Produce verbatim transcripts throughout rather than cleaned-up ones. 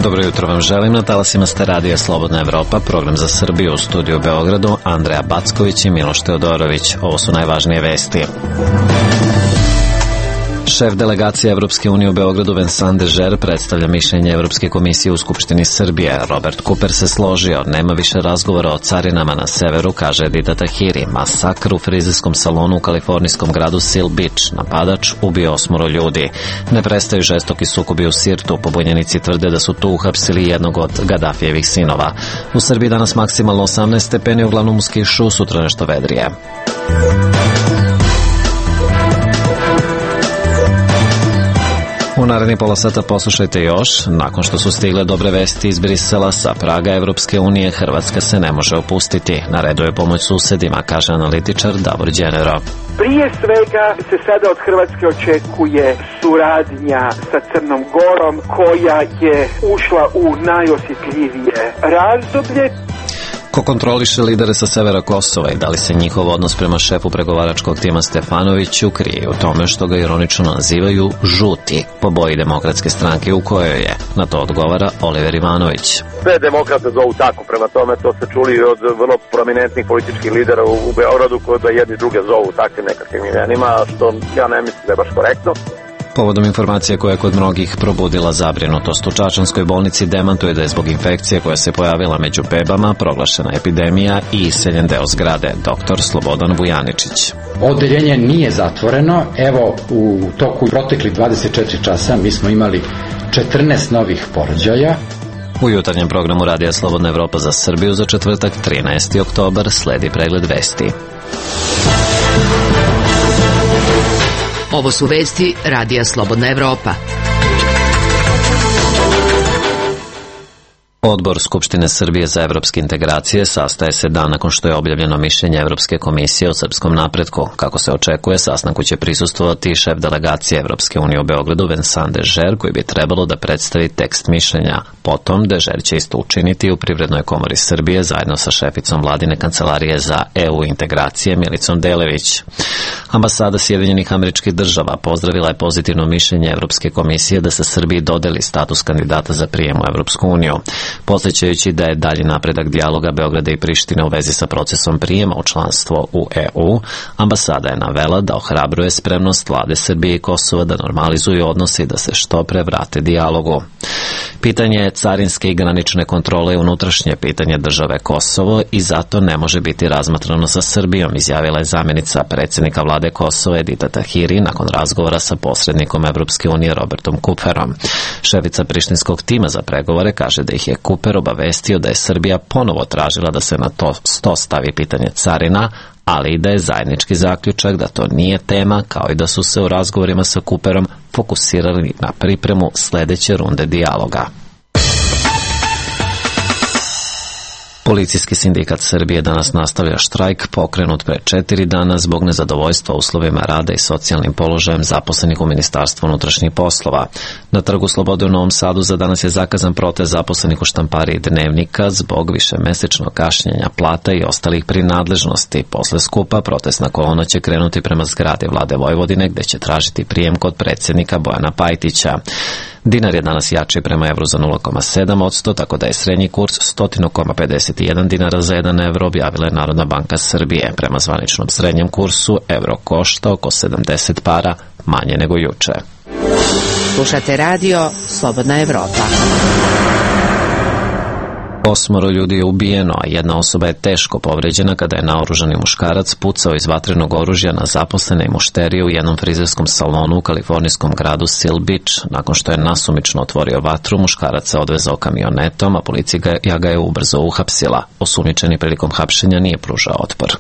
Dobro jutro vam želim, na talasima ste radija Slobodna Evropa, program za Srbiju, u studiju u Beogradu, Andreja Backović i Miloš Teodorović. Ovo su najvažnije vesti. Šef delegacije Evropske unije u Beogradu Vincent Dežer predstavlja mišljenje Evropske komisije u Skupštini Srbije. Robert Cooper se složio, nema više razgovora o carinama na severu, kaže Edita Tahiri. Masakr u frizerskom salonu u kalifornijskom gradu Seal Beach. Napadač ubio osmoro ljudi. Ne prestaju žestoki sukobi u Sirtu. Pobunjenici tvrde da su tu uhapsili jednog od Gadafijevih sinova. U Srbiji danas maksimalno osamnaest stepeni, uglavnom uz kišu, sutra nešto vedrije. U narednih pola sata poslušajte još. Nakon što su stigle dobre vesti iz Brisela sa praga Evropske unije, Hrvatska se ne može opustiti. Na redu je pomoć susedima, kaže analitičar Davor Đenero. Prije svega se sada od Hrvatske očekuje suradnja sa Crnom Gorom, koja je ušla u najosjetljivije razdoblje. Ko kontroliše lidere sa severa Kosova i da li se njihov odnos prema šefu pregovaračkog tima Stefanoviću krije u tome što ga ironično nazivaju žuti, po boji Demokratske stranke u kojoj je? Na to odgovara Oliver Ivanović. Sve demokrate zovu tako, prema tome to se čuli od vrlo prominentnih političkih lidera u, u Beogradu, koji da jedni druge zovu takvim nekakvim imenima, što ja ne mislim da je baš korektno. Povodom informacije koja je kod mnogih probudila zabrinutost, u Čačanskoj bolnici demantuje da je zbog infekcije koja se pojavila među bebama proglašena epidemija i iseljen deo zgrade. Doktor Slobodan Vujaničić. Odeljenje nije zatvoreno. Evo, u toku proteklih dvadeset četiri časa mi smo imali četrnaest novih porođaja. U jutarnjem programu Radija Slobodna Evropa za Srbiju za četvrtak trinaesti oktobar sledi pregled vesti. Ovo su vesti Radija Slobodna Evropa. Odbor Skupštine Srbije za evropske integracije sastaje se dan nakon što je objavljeno mišljenje Evropske komisije o srpskom napretku. Kako se očekuje, sastanku će prisustvovati šef delegacije Evropske unije u Beogradu Vincent Dežer, koji bi trebalo da predstavi tekst mišljenja. Potom Dežer će isto učiniti u Privrednoj komori Srbije zajedno sa šeficom vladine kancelarije za E U integracije Milicom Delević. Ambasada Sjedinjenih Američkih Država pozdravila je pozitivno mišljenje Evropske komisije da se Srbiji dodeli status kandidata za prijem u Evropsku uniju. Podsjećajući da je dalji napredak dijaloga Beograda i Prištine u vezi sa procesom prijema u članstvo u E U, ambasada je navela da ohrabruje spremnost vlade Srbije i Kosova da normalizuju odnose i da se što pre vrate dijalogu. Pitanje carinske i granične kontrole je unutrašnje pitanje države Kosovo i zato ne može biti razmatrano sa Srbijom, izjavila je zamjenica predsjednika vlade Kosova Edita Tahiri nakon razgovora sa posrednikom Evropske unije Robertom Cooperom. Šefica prištinskog tima za pregovore kaže da ih je Cooper obavestio da je Srbija ponovo tražila da se na to sto stavi pitanje carina, ali i da je zajednički zaključak da to nije tema, kao i da su se u razgovorima sa Cooperom fokusirali na pripremu sledeće runde dijaloga. Policijski sindikat Srbije danas nastavlja štrajk pokrenut pre četiri dana zbog nezadovoljstva uslovima rada i socijalnim položajem zaposlenih u Ministarstvu unutrašnjih poslova. Na Trgu Slobode u Novom Sadu za danas je zakazan protest zaposlenih u štampariji Dnevnika zbog višemesečnog kašnjenja plata i ostalih prinadležnosti. Posle skupa protestna kolona će krenuti prema zgradi Vlade Vojvodine gde će tražiti prijem kod predsjednika Bojana Pajtića. Dinar je danas jači prema evru za nula zarez sedam posto, tako da je srednji kurs sto zarez pedeset jedan dinara za jedan evro, objavila je Narodna banka Srbije. Prema zvaničnom srednjem kursu evro košta oko sedamdeset para, manje nego juče. Slušate radio Slobodna Evropa. Osmoro ljudi je ubijeno, a jedna osoba je teško povređena kada je naoružani muškarac pucao iz vatrenog oružja na zaposlene i mušterije u jednom frizerskom salonu u kalifornijskom gradu Seal Beach. Nakon što je nasumično otvorio vatru, muškarac se odvezao kamionetom, a policija ga je ubrzo uhapsila. Osumnjičeni prilikom hapšenja nije pružao otpor.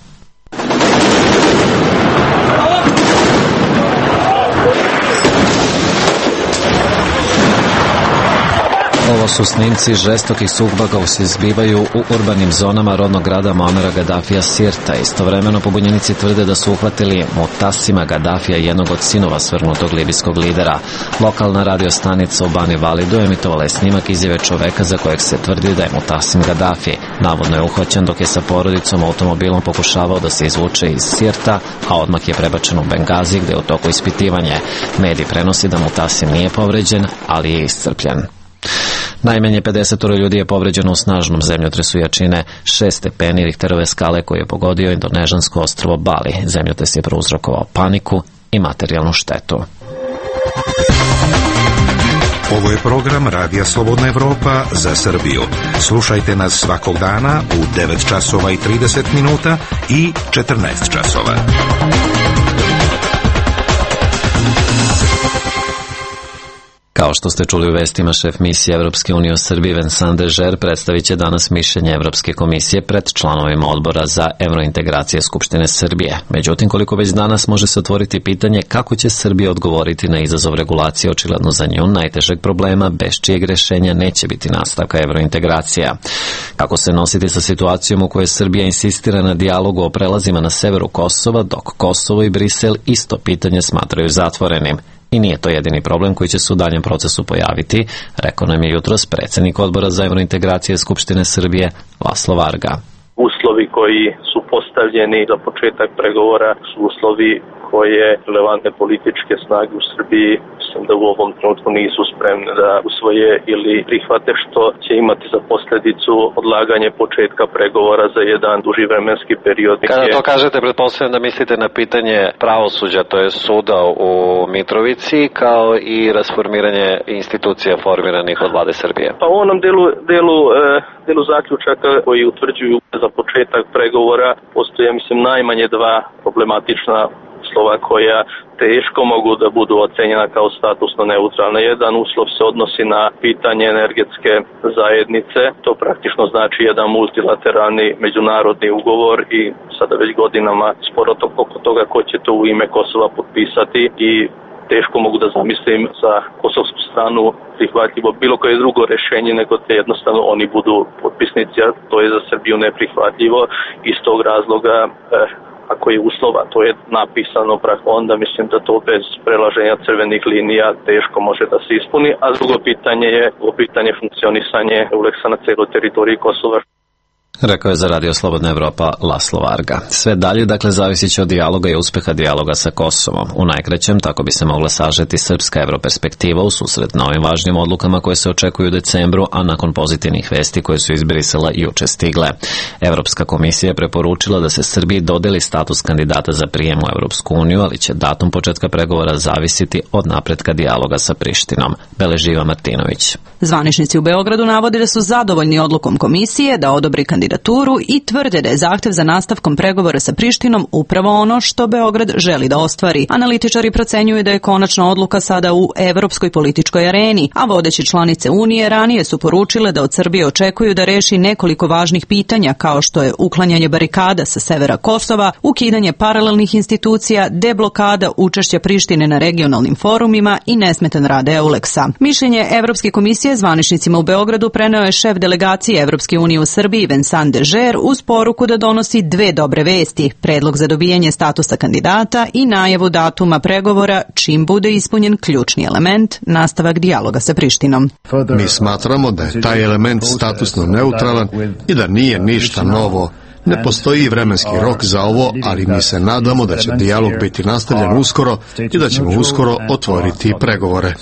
Ovo su snimci žestokih sukoba koji se izbivaju u urbanim zonama rodnog grada Muamera Gadafija Sirta. Istovremeno pobunjenici tvrde da su uhvatili Mutasima Gadafija, jednog od sinova svrgnutog libijskog lidera. Lokalna radio stanica u Bani Validu emitovala je snimak izjave čoveka za kojeg se tvrdi da je Mutasim Gadafi. Navodno je uhvaćen dok je sa porodicom automobilom pokušavao da se izvuče iz Sirta, a odmah je prebačen u Bengazi gde je u toku ispitivanje. Medij prenosi da Mutasim nije povređen, ali je iscrpljen. Najmanje pedeset ljudi je povređeno u snažnom zemljotresu jačine šest stepeni Richterove skale koji je pogodio indonežansko ostrvo Bali. Zemljotres je prouzrokovao paniku i materijalnu štetu. Ovo je program Radija Slobodna Evropa za Srbiju. Slušajte nas svakog dana u devet časova i trideset minuta i četrnaest časova. Kao što ste čuli u vestima, šef misije Evropske unije u Srbiji Vincent Dežer predstavit će danas mišljenje Evropske komisije pred članovima odbora za evrointegracije Skupštine Srbije. Međutim, koliko već danas može se otvoriti pitanje kako će Srbija odgovoriti na izazov regulacije, očigledno za nju najtežeg problema, bez čijeg rešenja neće biti nastavka evrointegracija. Kako se nositi sa situacijom u kojoj Srbija insistira na dijalogu o prelazima na severu Kosova, dok Kosovo i Brisel isto pitanje smatraju zatvorenim. I nije to jedini problem koji će se u daljem procesu pojaviti, rekao nam je jutros predsjednik odbora za evrointegracije Skupštine Srbije Laslo Varga. Uslovi koji su postavljeni za početak pregovora su uslovi koje relevantne političke snage u Srbiji mislim da u ovom trenutku nisu spremne da usvoje ili prihvate, što će imati za posljedicu odlaganje početka pregovora za jedan duži vremenski period. Kada to kažete, pretpostavljam da mislite na pitanje pravosuđa, to je suda u Mitrovici, kao i rasformiranje institucija formiranih od vlade Srbije. Pa u onom delu, delu, delu zaključaka koji utvrđuju za početak pregovora postoje, mislim, najmanje dva problematična uslova koja teško mogu da budu ocenjena kao statusno neutralna. Jedan uslov se odnosi na pitanje energetske zajednice. To praktično znači jedan multilateralni međunarodni ugovor i sada već godinama sporo oko toga ko će to u ime Kosova potpisati i teško mogu da zamislim za kosovsku stranu prihvatljivo bilo koje drugo rešenje nego da jednostavno oni budu potpisnici, a to je za Srbiju neprihvatljivo. Iz tog razloga eh, ako je uslova, to je napisano, onda mislim da to bez prelaženja crvenih linija teško može da se ispuni, a drugo pitanje je o pitanje funkcionisanje Euleksa na celoj teritoriji Kosova. Rekao je za Radio Slobodna Evropa Laslo Varga. Sve dalje, dakle, zavisit će od dijaloga i uspeha dijaloga sa Kosovom. U najkraćem, tako bi se mogla sažeti srpska evroperspektiva u susret na ovim važnim odlukama koje se očekuju u decembru, a nakon pozitivnih vesti koje su iz Brisela juče stigle. Evropska komisija je preporučila da se Srbiji dodeli status kandidata za prijem u Evropsku uniju, ali će datum početka pregovora zavisiti od napretka dijaloga sa Prištinom. Beleži Iva Martinović. Zvaničnici u Beogradu navode da su zadovoljni odlukom komisije da odobri kandidaturu i tvrde da je zahtev za nastavkom pregovora sa Prištinom upravo ono što Beograd želi da ostvari. Analitičari procenjuju da je konačna odluka sada u evropskoj političkoj areni, a vodeće članice Unije ranije su poručile da od Srbije očekuju da reši nekoliko važnih pitanja kao što je uklanjanje barikada sa severa Kosova, ukidanje paralelnih institucija, deblokada učešća Prištine na regionalnim forumima i nesmetan rad Euleksa. Mišljenje Evropske komisije zvaničnicima u Beogradu preneo je šef delegacije Evropske unije u Srbiji Vincent Dežer uz poruku da donosi dve dobre vesti, predlog za dobijanje statusa kandidata i najavu datuma pregovora čim bude ispunjen ključni element, nastavak dijaloga sa Prištinom. Mi smatramo da je taj element statusno neutralan i da nije ništa novo. Ne postoji vremenski rok za ovo, ali mi se nadamo da će dijalog biti nastavljen uskoro i da ćemo uskoro otvoriti pregovore.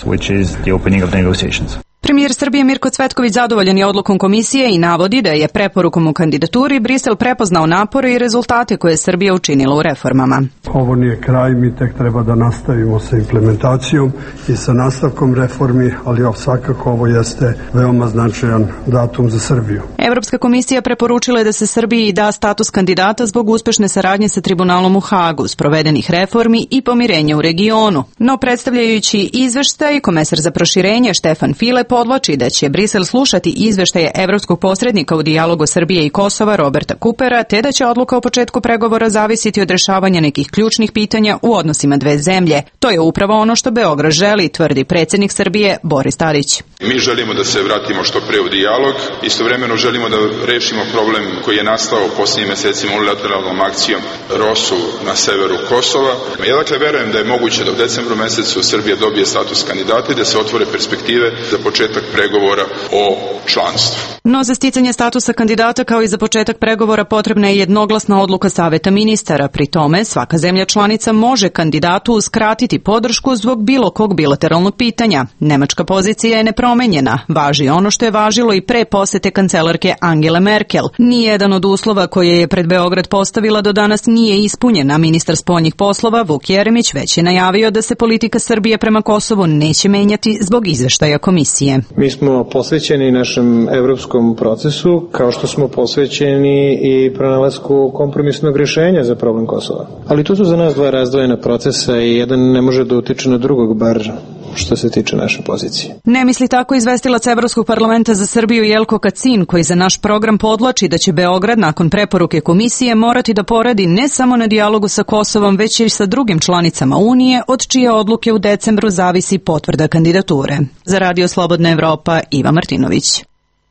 Premijer Srbije Mirko Cvetković zadovoljan je odlukom komisije i navodi da je preporukom u kandidaturi Brisel prepoznao napore i rezultate koje je Srbija učinila u reformama. Ovo nije kraj, mi tek treba da nastavimo sa implementacijom i sa nastavkom reformi, ali svakako ovo jeste veoma značajan datum za Srbiju. Evropska komisija preporučila je da se Srbiji da status kandidata zbog uspešne saradnje sa tribunalom u Hagu, sprovedenih reformi i pomirenja u regionu. No, predstavljajući izveštaj, komesar za proširenje Štefan File podvlači da će Brisel slušati izveštaje evropskog posrednika u dijalogu Srbije i Kosova Roberta Kupera, te da će odluka o početku pregovora zavisiti od rešavanja nekih ključnih pitanja u odnosima dve zemlje. To je upravo ono što Beograd želi, tvrdi predsjednik Srbije Boris Tadić. Mi želimo da se vratimo što pre u dijalog, istovremeno želimo da rešimo problem koji je nastao posljednjim mesecima unilateralnom akcijom Rosu na severu Kosova. Ja dakle verujem da je moguće da u decembru mesecu Srbija dobije status kandidata i da se otvore perspektive za početak pregovora o članstvu. No za sticanje statusa kandidata kao i za početak pregovora potrebna je jednoglasna odluka Saveta ministara. Pri tome svaka zemlja članica može kandidatu uskratiti podršku zbog bilo kog bilateralnog pitanja. Nemačka pozicija je nepromenjena. Važi ono što je važilo i pre posete kancelarke Angele Merkel. Nijedan od uslova koje je pred Beograd postavila do danas nije ispunjen, a ministar spoljnih poslova Vuk Jeremić već je najavio da se politika Srbije prema Kosovu neće menjati zbog izveštaja komisije. Mi smo posvećeni našem evropskom procesu, kao što smo posvećeni i pronalasku kompromisnog rješenja za problem Kosova. Ali to su za nas dva razdvojena procesa i jedan ne može da utiče na drugog, bar što se tiče naše pozicije. Ne misli tako izvestilac Evropskog parlamenta za Srbiju Jelko Kacin, koji za naš program podlači da će Beograd nakon preporuke komisije morati da poradi ne samo na dijalogu sa Kosovom, već i sa drugim članicama Unije, od čije odluke u decembru zavisi potvrda kandidature. Za Radio Slobodna Evropa, Iva Martinović.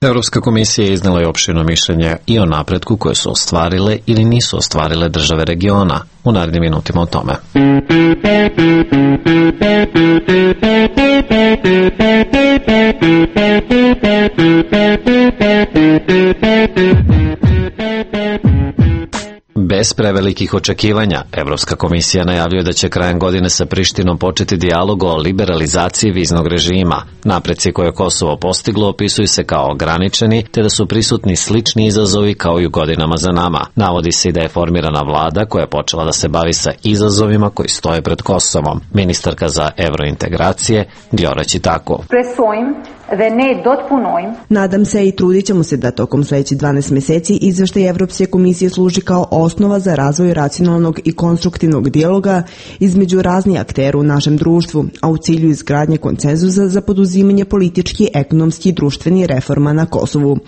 Evropska komisija je iznela i opširno mišljenje i o napretku koje su ostvarile ili nisu ostvarile države regiona. U narednim minutima o tome. Bez prevelikih očekivanja, Evropska komisija najavljuje da će krajem godine sa Prištinom početi dijalog o liberalizaciji viznog režima. Napreci koje je Kosovo postiglo opisuju se kao ograničeni, te da su prisutni slični izazovi kao i u godinama za nama. Navodi se i da je formirana vlada koja je počela da se bavi sa izazovima koji stoje pred Kosovom. Ministarka za evrointegracije Diora Čitako. Nadam se i trudit ćemo se da tokom sledećih dvanaest meseci izveštaj Evropske komisije služi kao osnova za razvoj racionalnog i konstruktivnog dijaloga između raznih aktera u našem društvu, a u cilju izgradnje konsenzusa za poduzimanje politički, ekonomski i društveni reforma na Kosovu.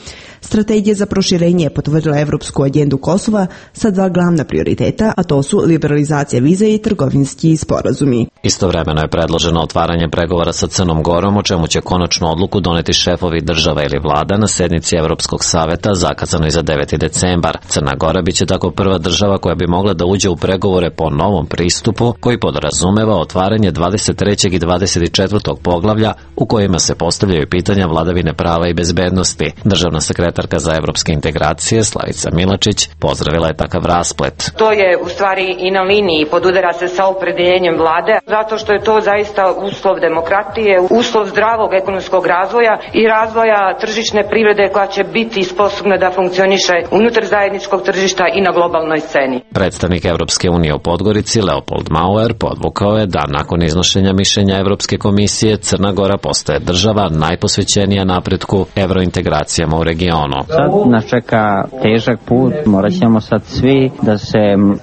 Strategija za proširenje je potvrdila Evropsku agendu Kosova sa dva glavna prioriteta, a to su liberalizacija viza i trgovinski sporazumi. Istovremeno je predloženo otvaranje pregovora sa Crnom Gorom, o čemu će konačnu odluku doneti šefovi država ili vlada na sednici Evropskog saveta zakazanoj za deveti decembar. Crna Gora biće tako prva država koja bi mogla da uđe u pregovore po novom pristupu koji podrazumeva otvaranje dvadeset trećeg i dvadeset četvrtog poglavlja u kojima se postavljaju pitanja vladavine prava i bezbednosti. Državna sekretarka za evropske integracije Slavica Milačić pozdravila je takav rasplet. To je u stvari i na liniji, podudara se sa opredeljenjem vlade, zato što je to zaista uslov demokratije, uslov zdravog ekonomskog razvoja i razvoja tržišne privrede koja će biti sposobna da funkcioniše unutar zajedničkog tržišta i na globalnoj sceni. Predstavnik Evropske unije u Podgorici Leopold Mauer podvukao je da nakon iznošenja mišljenja Evropske komisije Crna Gora postaje država najposvećenija napretku evrointegracijama u regionu. Sad nas čeka težak put, morat ćemo sad svi da se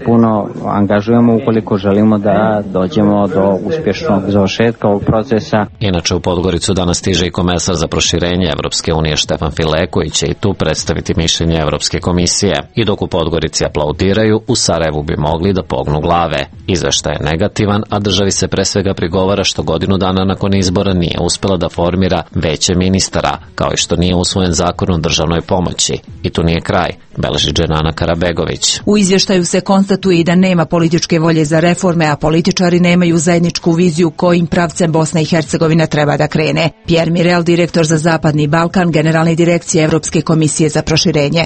puno angažujemo ukoliko želimo da dođemo do uspješnog završetka ovog procesa. Inače u Podgoricu danas stiže i komesar za proširenje Evropske unije Štefan File, koji će i tu predstaviti mišljenje Evropske komisije. I dok u Podgorici aplaudiraju, u Sarajevu bi mogli da pognu glave. Izveštaj je negativan, a državi se pre svega prigovara što godinu dana nakon izbora nije uspela da formira veće ministara, kao i što nije usvojen zakon o državnoj pomoći. I tu nije kraj, beleži Dženana Karabegović. U izvještaju se konstatuje i da nema političke volje za reforme, a političari nemaju zajedničku viziju kojim pravcem Bosna i Hercegovina treba da krene. Pierre Mirel, direktor za Zapadni Balkan, generalne direkcije Evropske komisije za proširenje.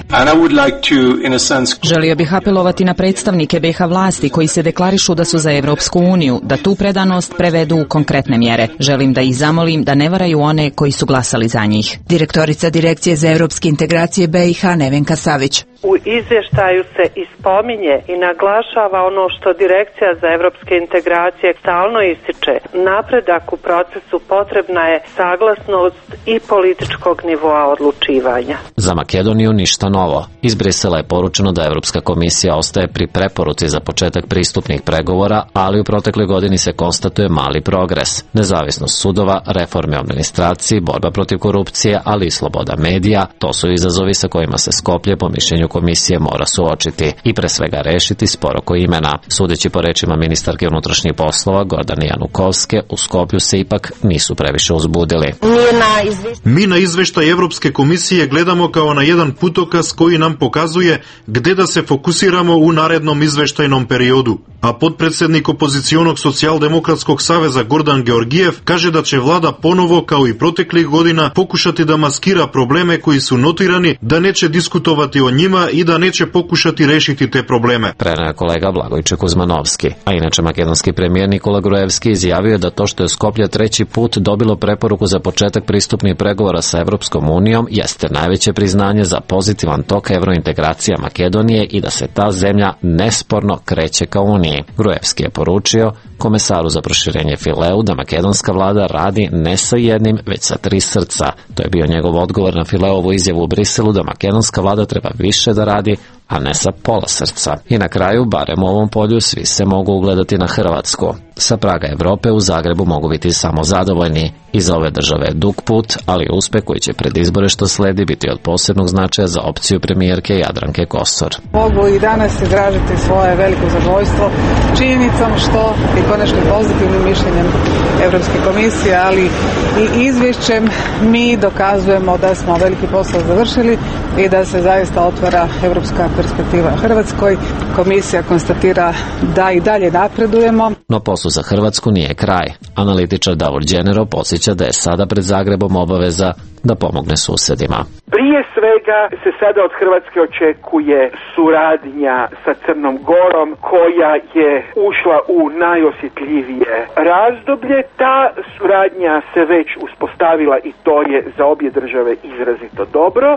Želio bih apelovati na predstavnike B iH vlasti koji se deklarišu da su za Evropsku uniju, da tu predanost prevedu u konkretne mjere. Želim da ih zamolim da ne varaju one koji su glasali za njih. Direktorica Direkcije za evropske integracije B iH Nevenka Savić. U izvještaju se ispominje i naglašava ono što Direkcija za evropske integracije stalno ističe. Napredak u procesu potrebna je saglasnost i političkog nivoa odlučivanja. Za Makedoniju ništa novo. Iz Brisela je poručeno da Evropska komisija ostaje pri preporuci za početak pristupnih pregovora, ali u protekloj godini se konstatuje mali progres. Nezavisnost sudova, reforme u administraciji, borba protiv korupcije, ali i sloboda medija, to su izazovi sa kojima se Skoplje po mišljenju komisije mora suočiti i pre svega rešiti spor oko imena. Sudeći po rečima ministarke unutrašnjih poslova Gordane Janukovske, u Skoplju se ipak nisu previše uzbudili. Mi na izveštaj Evropske komisije gledamo kao na jedan putokaz koji nam pokazuje gde da se fokusiramo u narednom izveštajnom periodu. A podpredsednik opozicionog socijaldemokratskog saveza Gordan Georgijev kaže da će vlada ponovo, kao i proteklih godina, pokušati da maskira probleme koji su notirani, da neće diskutovati o njima i da neće pokušati rešiti te probleme. Preneo je kolega Blagojče Kuzmanovski. A inače, makedonski premijer Nikola Gruevski izjavio da to što je Skoplje treći put dobilo preporuku za početak pristupnih pregovora sa Evropskom unijom jeste najveće priznanje za pozitivan tok evrointegracija Makedonije i da se ta zemlja nesporno kreće ka Uniji. Gruevski je poručio komesaru za proširenje Fileu da makedonska vlada radi ne sa jednim, već sa tri srca. To je bio njegov odgovor na Fileovu izjavu u Briselu da makedonska vlada treba više da radi, a ne sa pola srca. I na kraju, barem u ovom polju, svi se mogu ugledati na Hrvatsku. Sa praga Evrope u Zagrebu mogu biti samo zadovoljni. Iza ove države je dug put, ali uspeh koji će pred izbore što sledi biti od posebnog značaja za opciju premijerke Jadranke Kosor. Mogu i danas izražiti svoje veliko zadovoljstvo činjenicom što i konačno pozitivnim mišljenjem Evropske komisije, ali i izvješćem mi dokazujemo da smo veliki posao završili i da se zaista otvara evropska perspektiva Hrvatskoj. Komisija konstatira da i dalje napredujemo. No poslu za Hrvatsku nije kraj. Analitičar Davor Đenero podsjeća da je sada pred Zagrebom obaveza da pomogne susedima. Prije svega se sada od Hrvatske očekuje suradnja sa Crnom Gorom koja je ušla u najosjetljivije razdoblje. Ta suradnja se već uspostavila i to je za obje države izrazito dobro.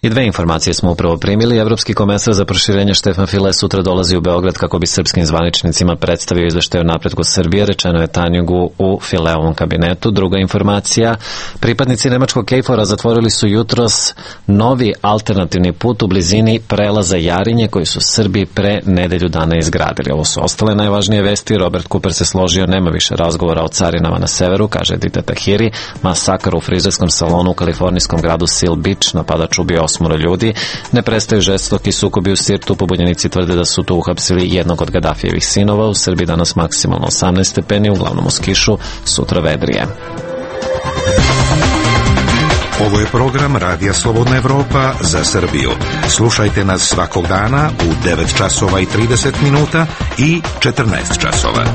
I dve informacije smo upravo primili. Evropski komesar za proširenje Štefan File sutra dolazi u Beograd kako bi srpskim zvaničnicima predstavio izveštaj o napretku Srbije, rečeno je Tanjugu u Fileovom kabinetu. Druga informacija, pripadnici nemačkog Kejfora zatvorili su jutros novi alternativni put u blizini prelaza Jarinje koji su Srbi pre nedelju dana izgradili. Ovo su ostale najvažnije vesti. Robert Cooper se složio, nema više razgovora o carinama na severu, kaže Dita Tahiri. Masakar u frizerskom salonu u kalifornijskom gradu Seal Beach, napadač ubio osmoro ljudi. Ne prestaju žestoki sukobi u Sirtu, pobunjenici tvrde da su tu uhapsili jednog od Gadafijevih sinova. U Srbiji danas maksimalno osamnaest stepeni, uglavnom uz kišu, sutra vedrije. Ovo je program Radija Slobodna Evropa za Srbiju. Slušajte nas svakog dana u devet časova i trideset minuta i četrnaest časova.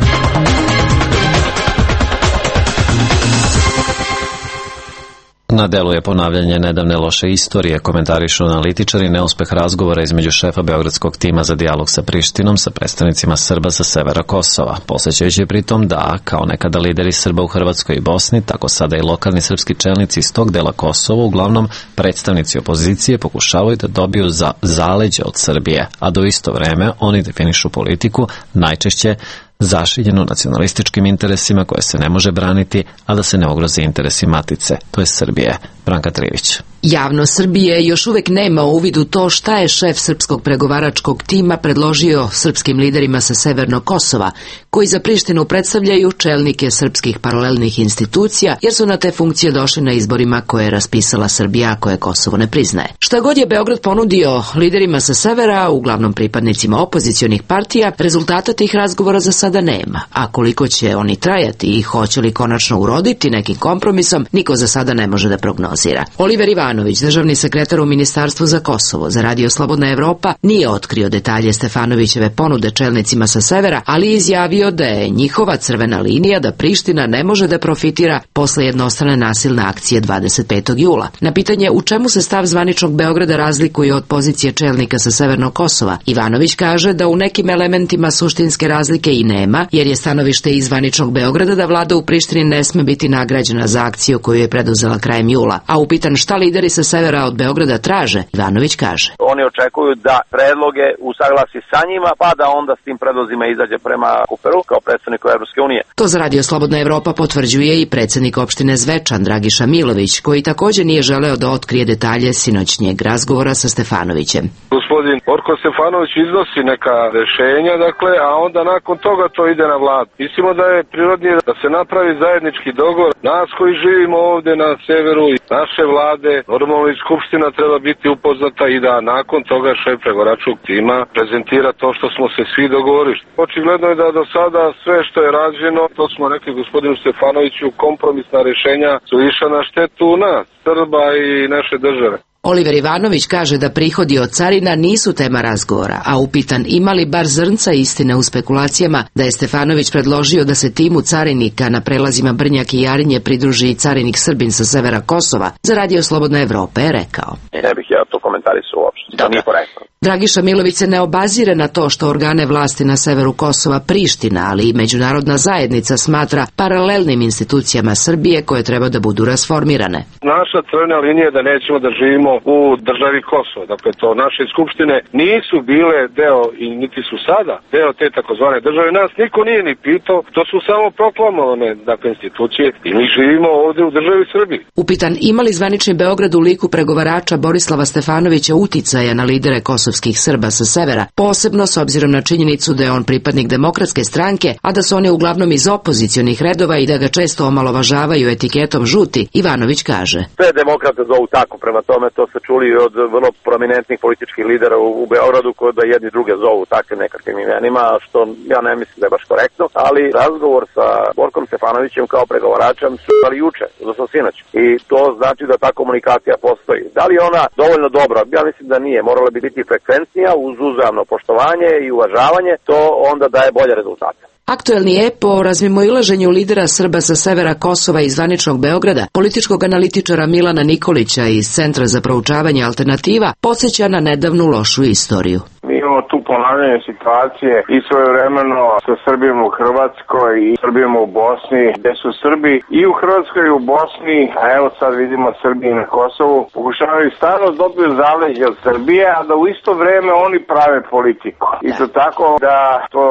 Na delu je ponavljanje nedavne loše istorije, komentarišu analitičari neuspeh razgovora između šefa beogradskog tima za dijalog sa Prištinom sa predstavnicima Srba sa severa Kosova, posjećajući pritom da, kao nekada lideri Srba u Hrvatskoj i Bosni, tako sada i lokalni srpski čelnici iz tog dela Kosova, uglavnom predstavnici opozicije, pokušavaju da dobiju za zaleđe od Srbije, a do isto vreme oni definišu politiku najčešće zašiljeno nacionalističkim interesima koje se ne može braniti, a da se ne ugroze interesi matice, to je Srbije. Branka Trivić. Javno Srbije još uvek nema uvid u to šta je šef srpskog pregovaračkog tima predložio srpskim liderima sa severnog Kosova, koji za Prištinu predstavljaju čelnike srpskih paralelnih institucija, jer su na te funkcije došli na izborima koje je raspisala Srbija, koje Kosovo ne priznaje. Šta god je Beograd ponudio liderima sa severa, uglavnom pripadnicima opozicionih partija, rezultata tih razgovora za sada nema, a koliko će oni trajati i hoće li konačno uroditi nekim kompromisom, niko za sada ne može da prognozira. Oliver Ivanović, državni sekretar u Ministarstvu za Kosovo, za Radio Slobodna Evropa, nije otkrio detalje Stefanovićeve ponude čelnicima sa severa, ali izjavio da je njihova crvena linija da Priština ne može da profitira posle jednostrane nasilne akcije dvadeset petog jula. Na pitanje u čemu se stav zvaničnog Beograda razlikuje od pozicije čelnika sa severnog Kosova, Ivanović kaže da u nekim elementima suštinske razlike i nema, jer je stanovište iz zvaničnog Beograda da vlada u Prištini ne sme biti nagrađena za akciju koju je preduzela krajem jula. A upitan šta lideri lideri sa severa od Beograda traže, Ivanović kaže. Oni očekuju da predloge usaglasi sa njima, pa da onda s tim predlozima izađe prema Kuperu kao predstavniku Evropske unije. To za Radio Slobodna Evropa potvrđuje i predsednik opštine Zvečan Dragiša Milović, koji takođe nije želeo da otkrije detalje sinoćnjeg razgovora sa Stefanovićem. Gospodin Borko Stefanović iznosi neka rešenja, dakle, a onda nakon toga to ide na vladu. Mislimo da je prirodnije da se napravi zajednički dogovor. Nas koji živimo ovde na severu i naše vlade, normalno i Skupština treba biti upoznata i da nakon toga šef pregovaračkog tima prezentira to što smo se svi dogovorili. Očigledno je da do sada sve što je rađeno, to smo rekli gospodinu Stefanoviću, kompromisna rešenja su išla na štetu nas, Srba i naše države. Oliver Ivanović kaže da prihodi od carina nisu tema razgovora, a upitan ima li bar zrnca istine u spekulacijama da je Stefanović predložio da se timu carinika na prelazima Brnjak i Jarinje pridruži i carinik Srbin sa severa Kosova, za Radio Slobodna Evropa je rekao. Ne bih ja to komentarisao uopšte, to nije korektno. Dragiša Milović se ne obazire na to što organe vlasti na severu Kosova Priština, ali i međunarodna zajednica smatra paralelnim institucijama Srbije koje treba da budu rasformirane. Naša crvena linija je da nećemo da živimo u državi Kosovo. Dakle, to naše skupštine nisu bile deo i niti su sada deo te takozvane države. Nas niko nije ni pitao, to su samo proklamovane dakle, institucije i mi živimo ovde u državi Srbiji. Upitan ima li zvanični Beograd u liku pregovarača Borislava Stefanovića uticaja na lidere kosovskih Srba sa severa, posebno s obzirom na činjenicu da je on pripadnik Demokratske stranke, a da su oni uglavnom iz opozicionih redova i da ga često omalovažavaju etiketom žuti, Ivanović kaže. Sve demokrate zovu tako, prema tome to se čuli od vrlo prominentnih političkih lidera u, u Beogradu koji da jedni druge zovu takvim nekakvim imenima, što ja ne mislim da je baš korektno, ali razgovor sa Borkom Stefanovićem kao pregovaračem su imali juče, odnosno sinoć. I to znači da ta komunikacija postoji. Da li je ona dovoljno dobra? Ja mislim da nije. Morala bi biti frekventnija uz uzajamno poštovanje i uvažavanje, to onda daje bolje rezultate. Aktuelni je po razmimoilaženju lidera Srba sa severa Kosova i zvaničnog Beograda, političkog analitičara Milana Nikolića iz Centra za proučavanje alternativa, podsjeća na nedavnu lošu istoriju. Mi imamo tu ponavljanje situacije i svojevremeno sa Srbijom u Hrvatskoj i Srbijom u Bosni, gde su Srbi i u Hrvatskoj i u Bosni, a evo sad vidimo Srbiji na Kosovu, pokušavaju stalno dobiju zaleđe od Srbije, a da u isto vreme oni prave politiku. Isto tako da to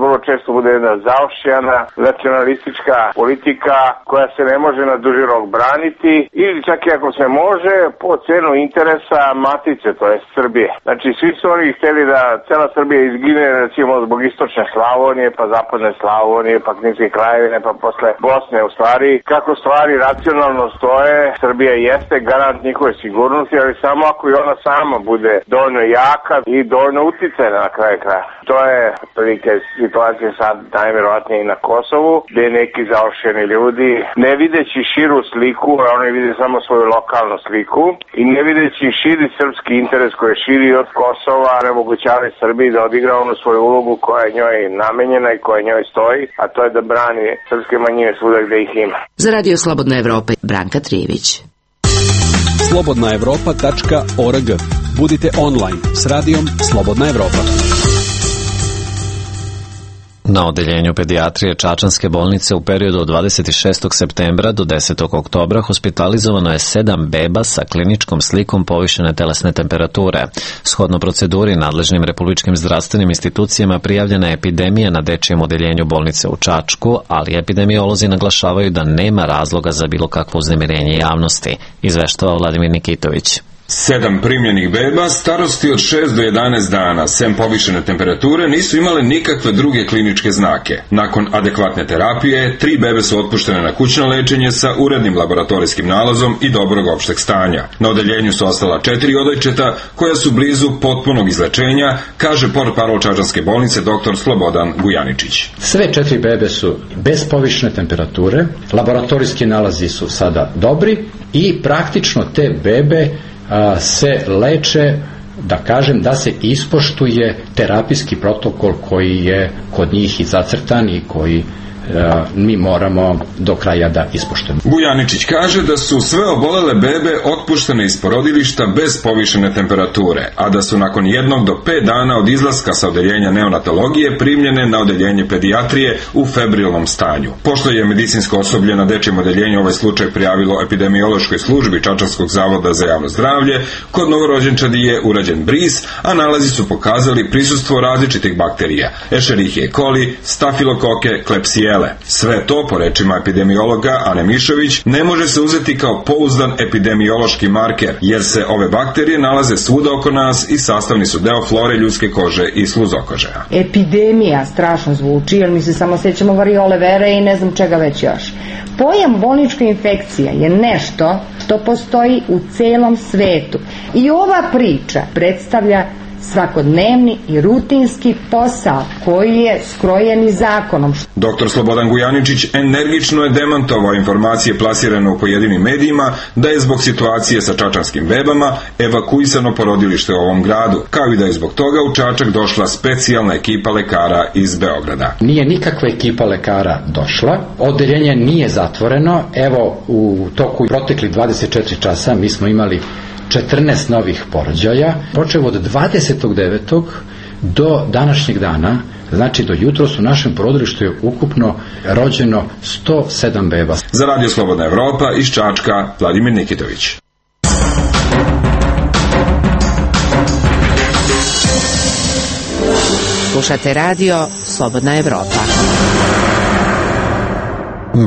vrlo često bude jedna zaošćana nacionalistička politika koja se ne može na duži rok braniti ili čak i ako se može po cenu interesa matice, to je Srbije. Znači svi su oni hteli da cela Srbija izgine recimo zbog istočne Slavonije, pa zapadne Slavonije, pa Kninske krajevine, pa posle Bosne. U stvari, kako stvari racionalno stoje, Srbija jeste garant njihove sigurnosti, ali samo ako i ona sama bude dovoljno jaka i dovoljno uticajna na kraju kraja. To je prilike situacije sad najverovatnije i na Kosovu, gde neki zaošćeni ljudi, ne videći širu sliku, a oni vide samo svoju lokalnu sliku, i ne videći širi srpski interes koji je širi od Kosova, omogućavaju Srbiji da odigra onu svoju ulogu koja je njoj namenjena i koja njoj stoji, a to je da brani srpske manjine svuda gde ih ima. Za Radio Slobodna Evropa, Branka Trijević. slobodna evropa tačka org. Budite online s radijom Slobodna Evropa. Na odeljenju pedijatrije Čačanske bolnice u periodu od dvadeset šestog septembra do desetog oktobra hospitalizovano je sedam beba sa kliničkom slikom povišene telesne temperature. Shodno proceduri nadležnim republičkim zdravstvenim institucijama prijavljena je epidemija na dečijem odeljenju bolnice u Čačku, ali epidemiolozi naglašavaju da nema razloga za bilo kakvo uznemirenje javnosti, izveštava Vladimir Nikitović. Sedam primljenih beba starosti od šest do jedanaest dana, sem povišene temperature, nisu imale nikakve druge kliničke znake. Nakon adekvatne terapije, tri bebe su otpuštene na kućno lečenje sa urednim laboratorijskim nalazom i dobrog opšteg stanja. Na odeljenju su ostala četiri odojčeta koja su blizu potpunog izlečenja, kaže portparol Čačanske bolnice dr. Slobodan Gujaničić. Sve četiri bebe su bez povišene temperature, laboratorijski nalazi su sada dobri i praktično te bebe se leče, da kažem, da se ispoštuje terapijski protokol koji je kod njih i zacrtan i koji mi moramo do kraja da ispoštujemo. Bujaničić kaže da su sve obolele bebe otpuštene iz porodilišta bez povišene temperature, a da su nakon jednog do pet dana od izlaska sa odeljenja neonatologije primljene na odeljenje pedijatrije u febrilnom stanju. Pošto je medicinsko osoblje na dečijem odeljenju ovaj slučaj prijavilo epidemiološkoj službi Čačanskog zavoda za javno zdravlje, kod novorođenčadi je urađen bris, a nalazi su pokazali prisustvo različitih bakterija, Escherichia coli, stafilokoke, klepsijele. Sve to, po rečima epidemiologa Ane Mišović, ne može se uzeti kao pouzdan epidemiološki marker, jer se ove bakterije nalaze svuda oko nas i sastavni su deo flore ljudske kože i sluzokožeja. Epidemija strašno zvuči, jer mi se samo sećamo variole vere i ne znam čega već još. Pojam bolnička infekcija je nešto što postoji u celom svetu i ova priča predstavlja svakodnevni i rutinski posao koji je skrojen i zakonom. Doktor Slobodan Gujaničić energično je demantovao informacije plasirane u pojedinim medijima da je zbog situacije sa čačanskim bebama evakuisano porodilište u ovom gradu, kao i da je zbog toga u Čačak došla specijalna ekipa lekara iz Beograda. Nije nikakva ekipa lekara došla, odeljenje nije zatvoreno, evo u toku proteklih dvadeset četiri časa mi smo imali četrnaest novih porođaja, počev od dvadesetog devetog do današnjeg dana, znači do jutros u našem porodilištu je ukupno rođeno sto sedam beba. Za Radio Slobodna Evropa iz Čačka, Vladimir Nikitović. Slušate radio Slobodna Evropa.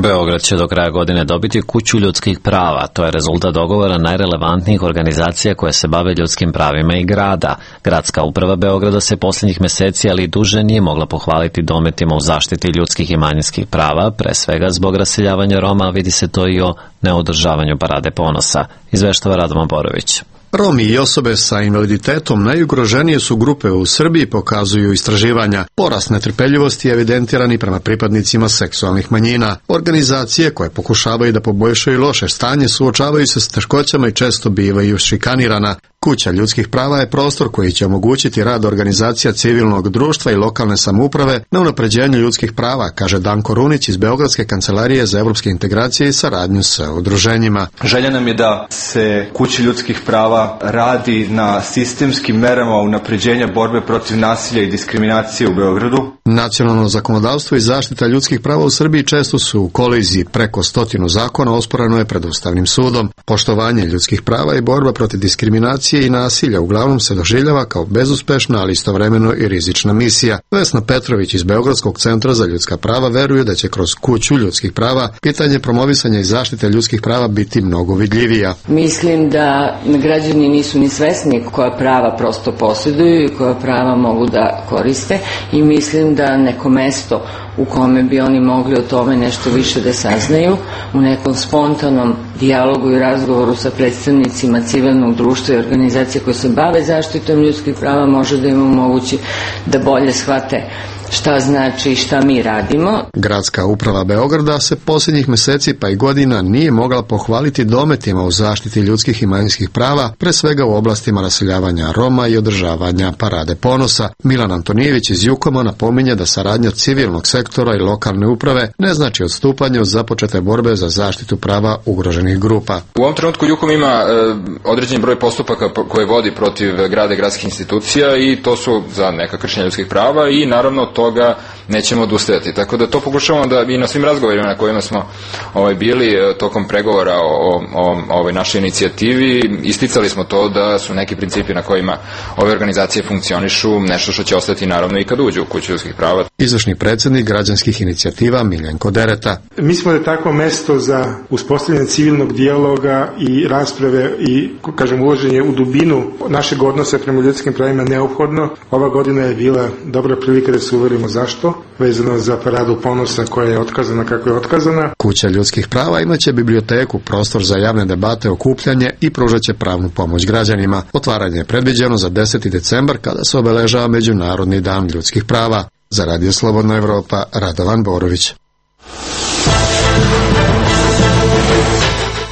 Beograd će do kraja godine dobiti kuću ljudskih prava. To je rezultat dogovora najrelevantnijih organizacija koje se bave ljudskim pravima i grada. Gradska uprava Beograda se posljednjih meseci, ali i duže, nije mogla pohvaliti dometima u zaštiti ljudskih i manjinskih prava, pre svega zbog raseljavanja Roma, a vidi se to i o neodržavanju Parade ponosa. Izveštava Radovan Borović. Romi i osobe sa invaliditetom najugroženije su grupe u Srbiji, pokazuju istraživanja. Porast netrpeljivosti je evidentiran i prema pripadnicima seksualnih manjina. Organizacije koje pokušavaju da poboljšaju loše stanje suočavaju se s teškoćama i često bivaju šikanirana. Kuća ljudskih prava je prostor koji će omogućiti rad organizacija civilnog društva i lokalne samouprave na unapređenju ljudskih prava, kaže Danko Runić iz Beogradske kancelarije za evropske integracije i saradnju sa udruženjima. Želja nam je da se kući ljudskih prava radi na sistemskim merama unapređenja borbe protiv nasilja i diskriminacije u Beogradu. Nacionalno zakonodavstvo i zaštita ljudskih prava u Srbiji često su u koliziji. Preko stotinu zakona osporeno je pred Ustavnim sudom. Poštovanje ljudskih prava i borba protiv diskriminacije i nasilja uglavnom se doživljava kao bezuspešna, ali istovremeno i rizična misija. Vesna Petrović iz Beogradskog centra za ljudska prava veruje da će kroz kuću ljudskih prava pitanje promovisanja i zaštite ljudskih prava biti mnogo vidljivija. Mislim da građani nisu ni svesni koja prava prosto posjeduju i koja prava mogu da koriste i mislim da neko mesto u kome bi oni mogli o tome nešto više da saznaju, u nekom spontanom dijalogu i razgovoru sa predstavnicima civilnog društva i organizacije koje se bave zaštitom ljudskih prava, može da im omogući da bolje shvate šta znači i šta mi radimo. Gradska uprava Beograda se posljednjih meseci pa i godina nije mogla pohvaliti dometima u zaštiti ljudskih i manjinskih prava, pre svega u oblastima raseljavanja Roma i održavanja Parade ponosa. Milan Antonijević iz Jukoma napominje da saradnja civilnog sektora i lokalne uprave ne znači odstupanje od započete borbe za zaštitu prava ugroženih grupa. U ovom trenutku Jukom ima e, određen broj postupaka koje vodi protiv grada i gradskih institucija i to su za neka kršenja ljudskih prava i naravno toga nećemo odustajati. Tako da to pokušavamo da i na svim razgovorima na kojima smo ovaj, bili tokom pregovora o, o, o ovoj našoj inicijativi, isticali smo to da su neki principi na kojima ove organizacije funkcionišu nešto što će ostati naravno i kad uđu u kuću ljudskih prava. Izvršni predsjednik građanskih inicijativa Miljenko Dereta. Mislimo da je takvo mesto za uspostavljanje civilnog dijaloga i rasprave i, kažem, uloženje u dubinu našeg odnosa prema ljudskim pravima neophodno. Ova godina je bila dobra prilika da se uverimo zašto, vezano za Paradu ponosa koja je otkazana kako je otkazana. Kuća ljudskih prava imaće biblioteku, prostor za javne debate, okupljanje i pružaće pravnu pomoć građanima. Otvaranje je predviđeno za deseti decembar kada se obeležava Međunarodni dan ljudskih prava. Za Radio Slobodna Evropa, Radovan Borović.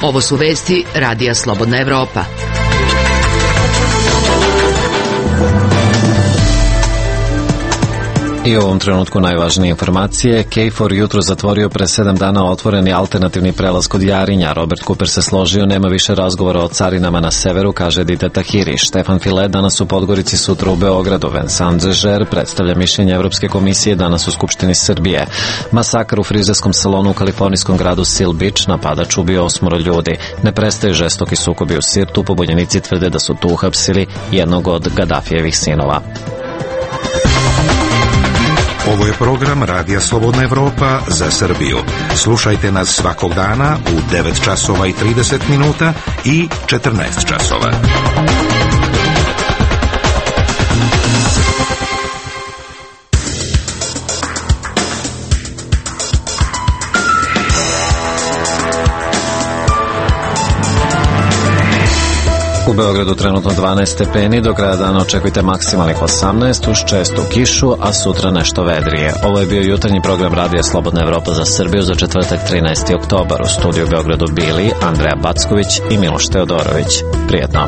Ovo su vesti Radija Slobodna Evropa. I u ovom trenutku najvažnije informacije. KFOR jutro zatvorio pre sedam dana otvoreni alternativni prelaz kod Jarinja. Robert Cooper se složio, nema više razgovora o carinama na severu, kaže Dite Tahiri. Štefan File danas u Podgorici, sutra u Beogradu. Vincent Zežer predstavlja mišljenje Evropske komisije danas u Skupštini Srbije. Masakar u frizerskom salonu u kalifornijskom gradu Seal Beach, napadač ubio osmoro ljudi. Ne prestaju žestoki sukobi u Sirtu, pobunjenici tvrde da su tu uhapsili jednog od Gadafijevih sinova. Ovo je program Radija Slobodna Evropa za Srbiju. Slušajte nas svakog dana u devet časova i trideset minuta i četrnaest časova. U Beogradu trenutno dvanaest stepeni, do kraja dana očekujte maksimalnih osamnaest uz čestu kišu, a sutra nešto vedrije. Ovo je bio jutarnji program Radija Slobodna Evropa za Srbiju za četvrtak trinaesti oktobar. U studiju u Beogradu bili Andreja Backović i Miloš Teodorović. Prijetno.